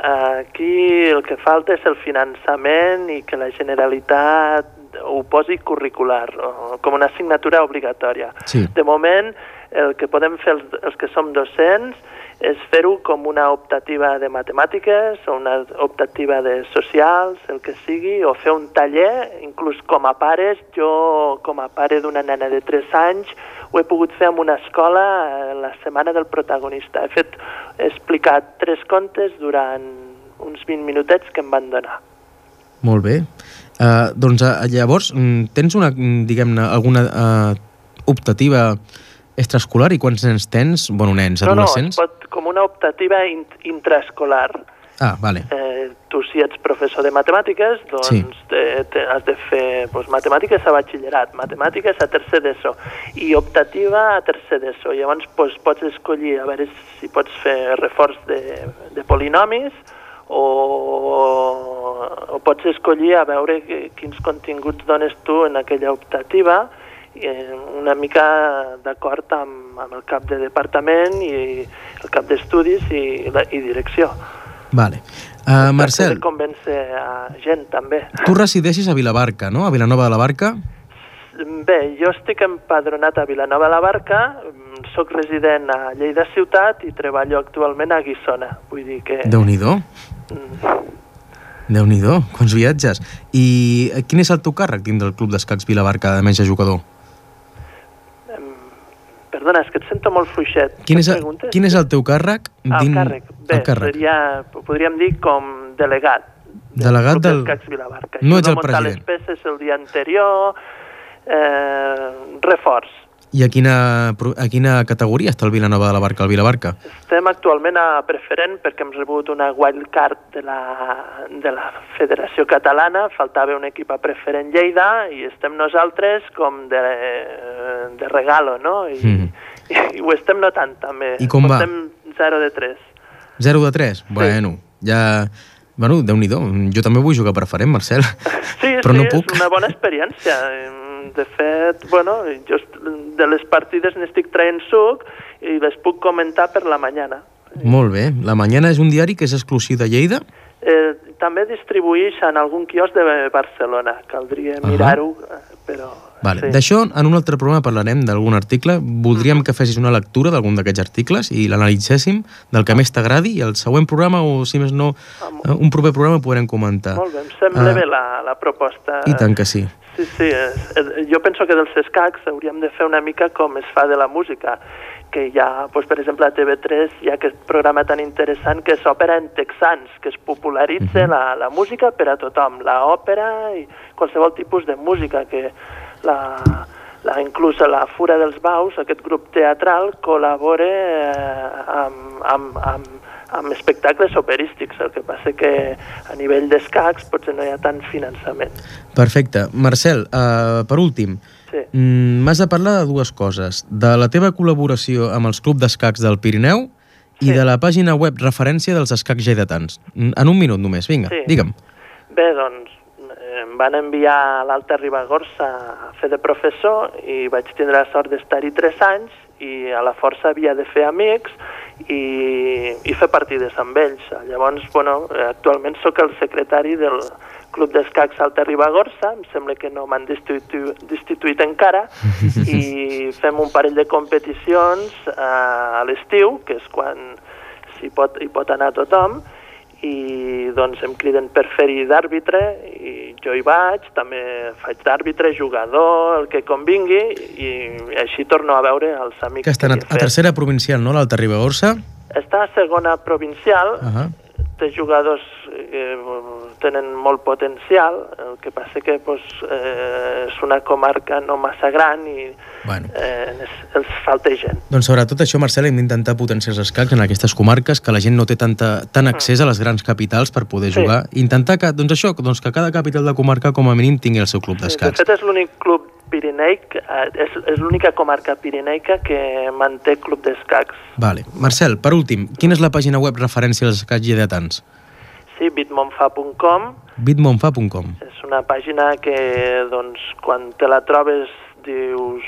aquí el que falta és el finançament i que la Generalitat ho posi curricular, com una assignatura obligatòria. Sí. De moment, el que podem fer els que som docents és fer-ho com una optativa de matemàtiques o una optativa de socials, el que sigui, o fer un taller, inclús com a pares. Jo, com a pare d'una nena de 3 anys, ho he pogut fer en una escola la setmana del protagonista. He explicat 3 contes durant uns 20 minutets que em van donar. Molt bé. Doncs llavors, tens alguna optativa extraescolar i quants nens tens? Bueno, nens, adolescents? No, com una optativa intraescolar. Ah, vale. Tu, si ets professor de matemàtiques, doncs has de fer matemàtiques a batxillerat, matemàtiques a tercer d'ESO i optativa a tercer d'ESO. Llavors pots escollir a veure si pots fer reforç de polinomis o pots escollir a veure quins continguts dones tu en aquella optativa, una mica d'acord amb el cap de departament i el cap d'estudis i direcció. Vale. Marcel, de convèncer a gent, també. Tu resideixes a Vilabarca, no? A Vilanova de la Barca? Bé, jo estic empadronat a Vilanova de la Barca, soc resident a Lleida ciutat i treballo actualment a Guissona. Vull dir que... Déu-n'hi-do. Déu-n'hi-do, quants viatges. I quin és el teu càrrec dins del Club d'Escacs Vilabarca, de menys jugador? Perdona, és que et sento molt fluixet. Quin és el teu càrrec? El càrrec. Bé, podríem dir com delegat. Delegat del... Club d'Escacs Vilabarca. No ets el president. Muntar les peces el dia anterior, reforç. I a quina categoria està el Vilanova de la Barca, el Vilabarca? Estem actualment a preferent perquè hem rebut una wildcard de la Federació Catalana, faltava un equip a preferent Lleida i estem nosaltres com de regalo, no? I ho estem notant també. I com va? Estem 0-3. 0-3? Bueno, ja... Bueno, Déu-n'hi-do. Jo també vull jugar preferent, Marcel. Sí, però no puc. És una bona experiència. De fet, bueno, jo de les partides n'estic traient suc i les puc comentar per La Mañana. Molt bé. La Mañana és un diari que és exclusiu de Lleida? També distribuïx en algun quiosc de Barcelona. Caldria mirar-ho, però... Vale. Sí. D'això, en un altre programa parlarem d'algun article. Voldríem que fessis una lectura d'algun d'aquests articles i l'analitzéssim del que més t'agradi i el següent programa, o si més no, un proper programa podrem comentar. Molt bé, em sembla bé la proposta. I tant que sí. Sí, jo penso que dels escacs hauríem de fer una mica com es fa de la música, que hi ha, doncs, per exemple, a TV3 hi ha aquest programa tan interessant que és Òpera en Texans, que es popularitza la música per a tothom, l'òpera i qualsevol tipus de música, que inclús a la Fura dels Baus, aquest grup teatral, col·labora amb espectacles operístics. El que passa que a nivell d'escacs potser no hi ha tant finançament. Perfecte. Marcel, per últim, m'has de parlar de dues coses. De la teva col·laboració amb els clubs d'escacs del Pirineu i de la pàgina web referència dels escacs lleidatans. En un minut només, vinga, digue'm. Bé, doncs, em van enviar a l'Alta Ribagorça a fer de professor i vaig tindre la sort d'estar-hi 3 anys i a la força havia de fer amics i fer partides amb ells. Llavors, actualment sóc el secretari del Club d'Escacs Alta Ribagorça, em sembla que no m'han destituït encara, i fem un parell de competicions a l'estiu, que és quan hi pot anar tothom, i doncs em criden per fer-hi d'àrbitre i jo hi vaig, també faig d'àrbitre, jugador, el que convingui, i així torno a veure els amics que estan a tercera provincial, no, l'Alta Ribagorça? Està a segona provincial, té jugadors que tenen molt potencial, el que passa que és una comarca no massa gran i els falta gent. Doncs sobretot això, Marcel, hem d'intentar potenciar els escacs en aquestes comarques, que la gent no té tant accés a les grans capitals per poder jugar. Intentar que cada capital de comarca com a mínim tingui el seu club d'escacs. De fet, és l'únic club pirineic, és l'única comarca pirineica que manté club d'escacs. Vale. Marcel, per últim, quina és la pàgina web referència als escacs lleidatans? Sí, bitmonfa.com. bitmonfa.com. És una pàgina que, doncs, quan te la trobes dius,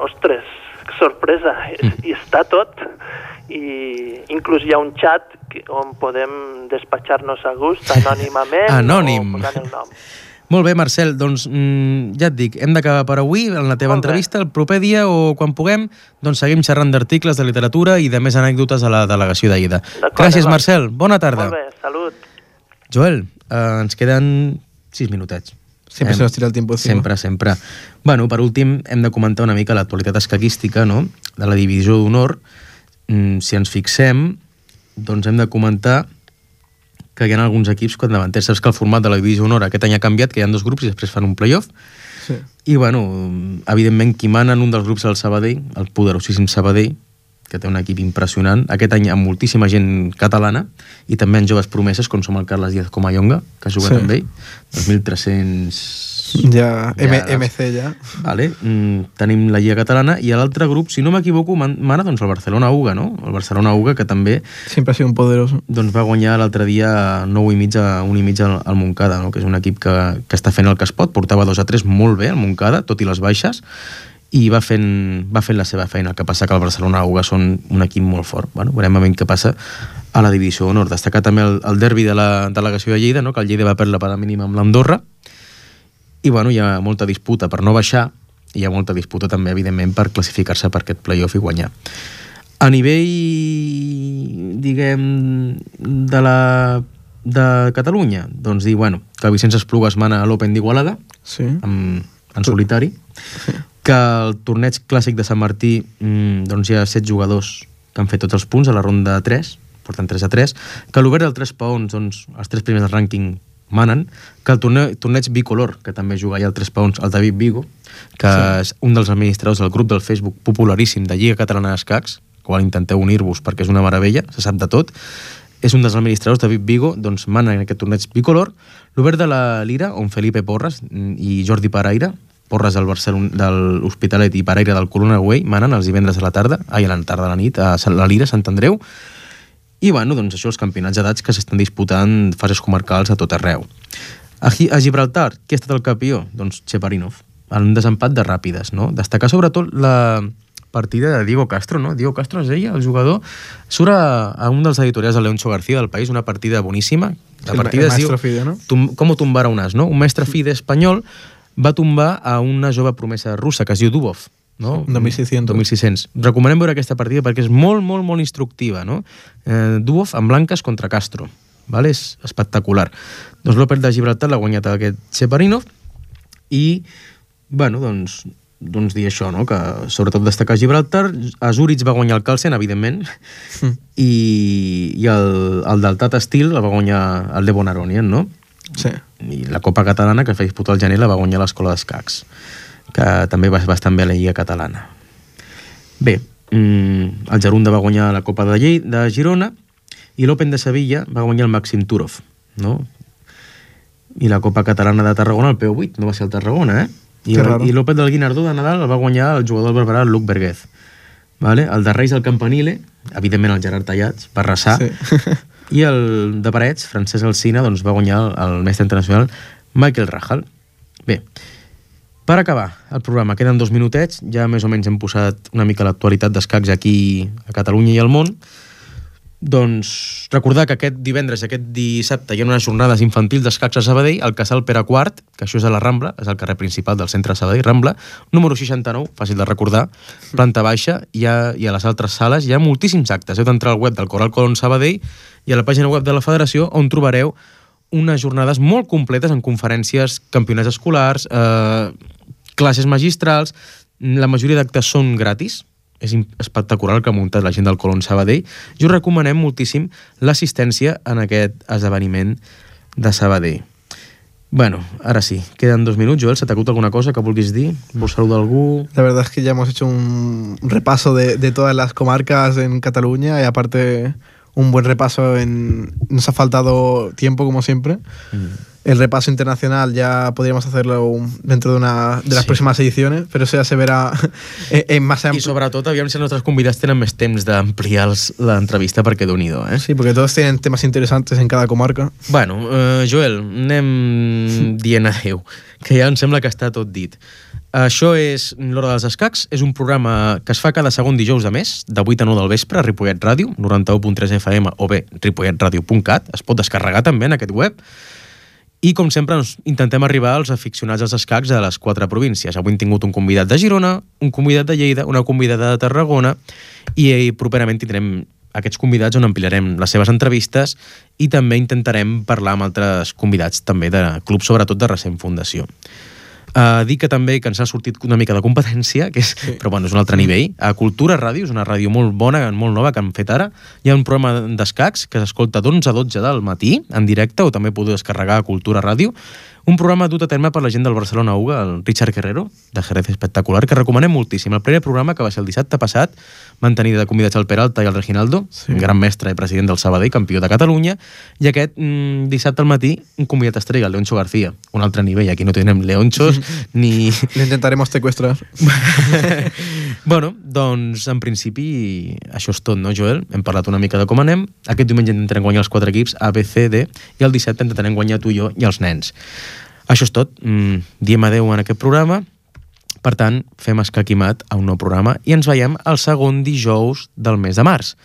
ostres, que sorpresa, i està tot. I inclús hi ha un xat on podem despatxar-nos a gust anònimament Anònim. o posant el nom. Molt bé, Marcel, doncs ja et dic, hem d'acabar per avui en la teva entrevista. El proper dia o quan puguem, doncs seguim xerrant d'articles, de literatura i de més anècdotes a la delegació de Lleida. Gràcies, Marcel. Bona tarda. Molt bé, salut. Joel, ens queden 6 minutets. Sempre se nos tira el tiempo encima. Sempre. Bueno, per últim, hem de comentar una mica l'actualitat escaquística, no?, de la divisió d'honor. Si ens fixem, doncs hem de comentar que hi ha alguns equips capdavanters. Saps que el format de la divisió d'honor aquest any ha canviat, que hi ha 2 grups i després fan un playoff. Sí. I, bueno, evidentment, qui mana en un dels grups és el Sabadell, el poderosíssim Sabadell, que té un equip impressionant, aquest any amb moltíssima gent catalana, i també en joves promeses, com som el Carles Díaz Comayonga, que ha jugat amb ell, 2.300... Ja, MC ja. Vale. Tenim la Lliga Catalana, i a l'altre grup, si no m'equivoco, mana doncs el Barcelona UGA, no? El Barcelona UGA, que també... Sempre ha sigut un poderoso. Doncs va guanyar l'altre dia 9,5 al Montcada, no?, que és un equip que està fent el que es pot, portava 2-3 molt bé al Montcada, tot i les baixes, i va fent la seva feina. El que passa que el Barcelona UGA són un equip molt fort. Bueno, veurem a veure què passa a la divisió d'honor. Destacar també el derbi de la delegació de Lleida, no?, que el Lleida va perdre per la mínima amb l'Andorra, i bueno, hi ha molta disputa per no baixar, i hi ha molta disputa també, evidentment, per classificar-se per aquest playoff i guanyar. A nivell, diguem, de Catalunya, doncs dir, bueno, que Vicenç Esplugues mana a l'Open d'Igualada, sí, en solitari, que el torneig clàssic de Sant Martí, doncs hi ha 7 jugadors que han fet tots els punts a la ronda 3, porten 3-3, que l'obert del 3 paons, doncs els 3 primers del rànquing manen, que el torneig bicolor, que també juga allà al 3 paons, el David Vigo, que és un dels administradors del grup del Facebook popularíssim de Lliga Catalana d'Escacs, qual intenteu unir-vos perquè és una meravella, se sap de tot, és un dels administradors, David Vigo, doncs mana en aquest torneig bicolor. L'obert de la Lira, on Felipe Porras i Jordi Paraire, Porras de l'Hospitalet i Paraire del Corona Güell, manen els divendres a la tarda, a la tarda a la nit, a la Lira, Sant Andreu. I, bueno, doncs això, els campionats d'edats que s'estan disputant fases comarcals a tot arreu. A Gibraltar, qui ha estat el campió? Doncs Cheparinov, en un desempat de ràpides, no? Destacar sobretot la partida de Diego Castro, no? Diego Castro es deia, el jugador, surt a un dels editorials de Leoncho García del País, una partida boníssima. La partida es diu Fide, no? Com tumbar a un as, no? Un mestre fide espanyol va tombar a una jove promesa russa que es diu Dubov, no? 2600. Recomanem veure aquesta partida perquè és molt, molt, molt instructiva, no? Dubov amb blanques contra Castro, vale? És espectacular. Doncs l'Open de Gibraltar l'ha guanyat aquest Cheparinov i, bueno, doncs doncs, dir això, no? Que sobretot destacar Gibraltar. A Zurich va guanyar el Carlsen, evidentment, i el del Tata Steel el va guanyar el de Bonaronian, no? Sí. I la Copa Catalana, que es va disputar al gener, la va guanyar l'Escola d'Escacs, que també va bastant bé a la Lliga Catalana. Bé, el Gerunda va guanyar la Copa de Girona i l'Open de Sevilla va guanyar el Màxim Turov, no? I la Copa Catalana de Tarragona, el P8, no va ser el Tarragona, I l'Open del Guinardó de Nadal el va guanyar el jugador del Barberà, el Luc Berguez. Vale? El de Reis, el Campanile, evidentment el Gerard Tallats, va arrasar, i el de Parets, Francesc Alsina, doncs va guanyar el mestre internacional Michael Rahal. Bé, per acabar el programa, queden 2 minutets, ja més o menys hem posat una mica l'actualitat d'escacs aquí a Catalunya i al món. Doncs recordar que aquest divendres i aquest dissabte hi ha unes jornades infantils d'escacs a Sabadell, al Casal Pere IV, que això és a la Rambla, és el carrer principal del centre de Sabadell, Rambla, número 69, fàcil de recordar, planta baixa, i a les altres sales hi ha moltíssims actes. Heu d'entrar al web del Coral Colón Sabadell i a la pàgina web de la Federació, on trobareu unes jornades molt completes en conferències, campionats escolars, classes magistrals. La majoria d'actes són gratis. És espectacular el que ha muntat la gent del Colón Sabadell, i us recomanem moltíssim l'assistència en aquest esdeveniment de Sabadell. Bueno, ahora sí, quedan 2 minutos. Joel, ¿se te acuta alguna cosa que vulguis dir? ¿Vos saludar a algú? La verdad es que ya hemos hecho un repaso de todas las comarcas en Cataluña, y aparte un buen repaso nos ha faltado tiempo, como siempre. El repaso internacional ya podríamos hacerlo dentro de las próximas ediciones, pero eso ya se verá en más amplio. I sobretot, aviam si els nostres convidats tenen més temps d'ampliar l'entrevista, perquè déu-n'hi-do, Sí, porque todos tienen temas interesantes en cada comarca. Bueno, Joel, anem dient adeu, que ja em sembla que està tot dit. Això és l'Hora dels Escacs, és un programa que es fa cada segon dijous de mes, de 8 a 9 del vespre, a Ripollet Ràdio, 91.3 FM, o bé ripolletradio.cat, es pot descarregar també en aquest web. I, com sempre, intentem arribar als aficionats als escacs de les 4 províncies. Avui hem tingut un convidat de Girona, un convidat de Lleida, una convidada de Tarragona, i properament tindrem aquests convidats on ampliarem les seves entrevistes i també intentarem parlar amb altres convidats també de clubs, sobretot de recent fundació. Dic que també que ens ha sortit una mica de competència, però bueno, és un altre nivell. A Cultura Ràdio, és una ràdio molt bona, molt nova, que han fet ara. Hi ha un programa d'escacs que s'escolta d'11 a 12 del matí, en directe, o també podeu descarregar a Cultura Ràdio. Un programa dut a terme per la gent del Barcelona UGA, el Richard Guerrero, de Jerez Espectacular, que recomanem moltíssim. El primer programa, que va ser el dissabte passat, van tenir de convidats el Peralta i el Reginaldo, gran mestre i president del Sabadell, campió de Catalunya, i aquest dissabte al matí un convidat estrella, el Leoncho García, un altre nivell. Aquí no tenim Leonchos ni... Lo intentaremos secuestrar. Bueno, doncs en principi això és tot, no, Joel? Hem parlat una mica de com anem. Aquest diumenge intentarem guanyar els 4 equips A, B, C, D, i el dissabte intentarem guanyar tu i jo i els nens. Això és tot. Diem adeu en aquest programa. Per tant, fem escaquimat a un nou programa i ens veiem el segon dijous del mes de març.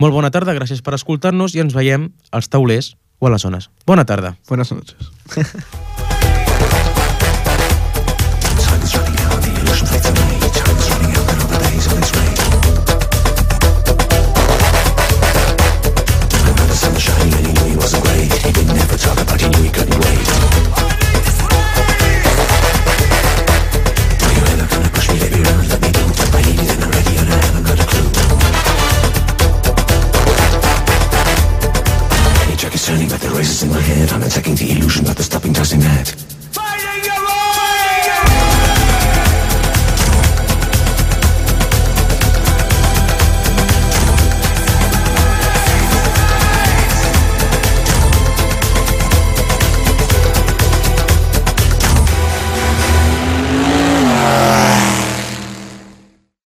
Molt bona tarda, gràcies per escoltar-nos, i ens veiem als taulers o a les zones. Bona tarda. Buenas noches.